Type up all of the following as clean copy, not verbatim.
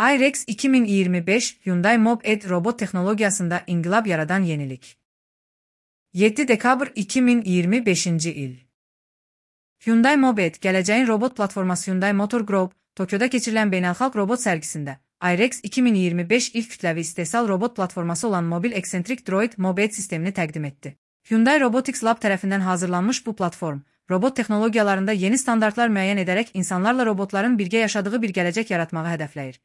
iRex 2025 Hyundai Moped robot teknolojisinde inqilab yaradan yenilik. 7 dekabr 2025 il. Hyundai Moped, gələcəyin robot platforması Hyundai Motor Group, Tokyoda keçirilən beynəlxalq robot sərgisində iRex 2025 ilk kütləvi istehsal robot platforması olan mobil eksentrik droid Moped sistemini təqdim etdi. Hyundai Robotics Lab tərəfindən hazırlanmış bu platform, robot texnologiyalarında yeni standartlar müəyyən edərək insanlarla robotların birgə yaşadığı bir gələcək yaratmağı hədəfləyir.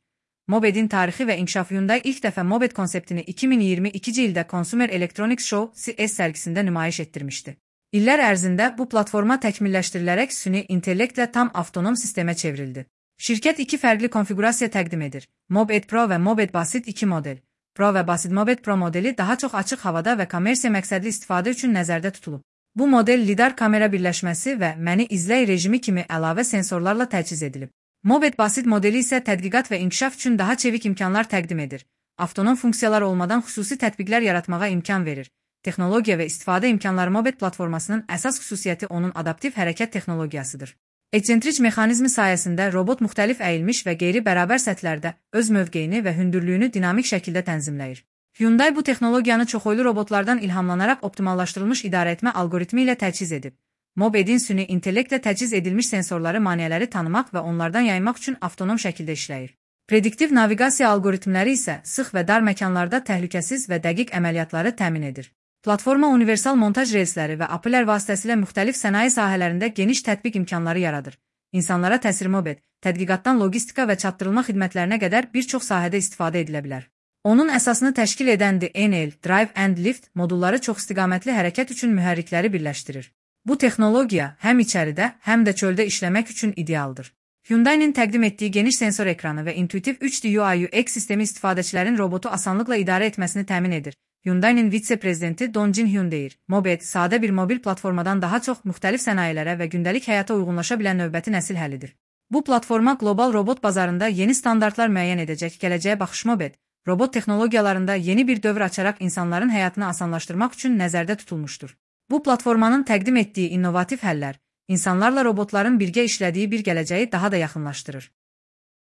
Mopedin tarixi və inkişafı Hyundai ilk dəfə Moped konseptini 2022-ci ildə Consumer Electronics Show (CES) sərgisində nümayiş etdirmişdi. İllər ərzində bu platforma təkmilləşdirilərək süni intellektlə tam avtonom sistemə çevrildi. Şirkət iki fərqli konfigurasiya təqdim edir: Moped Pro və Moped Basit 2 model. Pro və Basit Moped Pro modeli daha çox açıq havada və kommersiya məqsədli istifadə üçün nəzərdə tutulub. Bu model lidar kamera birləşməsi və məni izləy rejimi kimi əlavə sensorlarla təchiz edilib. Moped Basit modeli isə tədqiqat və inkişaf üçün daha çevik imkanlar təqdim edir. Avtonom funksiyalar olmadan xüsusi tətbiqlər yaratmağa imkan verir. Texnologiya və istifadə imkanları Moped platformasının əsas xüsusiyyəti onun adaptiv hərəkət texnologiyasıdır. Eksentrik mexanizmi sayəsində robot müxtəlif əyilmiş və qeyri-bərabər səthlərdə öz mövqeyini və hündürlüyünü dinamik şəkildə tənzimləyir. Hyundai bu texnologiyanı çoxoylu robotlardan ilhamlanaraq optimallaşdırılmış idarəetmə algoritmi ilə təchiz edib. Mopedin süni intellektlə təchiz edilmiş sensorları maneələri tanımaq və onlardan yaymaq üçün avtonom şəkildə işləyir. Prediktiv naviqasiya algoritmləri isə sıx və dar məkanlarda təhlükəsiz və dəqiq əməliyyatları təmin edir. Platforma universal montaj relsləri və API-lər vasitəsilə müxtəlif sənaye sahələrində geniş tətbiq imkanları yaradır. İnsanlara təsir Moped, tədqiqatdan logistika və çatdırılma xidmətlərinə qədər bir çox sahədə istifadə edilə bilər. Onun əsasını təşkil edən DNL, Drive and Lift modulları çoxistiqamətli hərəkət üçün mühərrikləri birləşdirir. Bu texnologiya həm içəridə, həm də çöldə işləmək üçün idealdır. Hyundai'nin təqdim etdiyi geniş sensor ekranı və intuitiv 3D UI/UX sistemi istifadəçilərin robotu asanlıqla idarə etməsini təmin edir. Hyundai'nin vitse-prezidenti Don Jin Hyun deyir: Moped, sadə bir mobil platformadan daha çox müxtəlif sənayelərə və gündəlik həyata uyğunlaşa bilən növbəti nəsil həllidir. Bu platforma qlobal robot bazarında yeni standartlar müəyyən edəcək. Gələcəyə baxış Moped, robot texnologiyalarında yeni bir dövr açaraq insanların həyatını asanlaşdırmaq üçün nəzərdə tutulmuşdur. Bu platformanın təqdim etdiyi innovativ həllər, insanlarla robotların birgə işlədiyi bir gələcəyi daha da yaxınlaşdırır.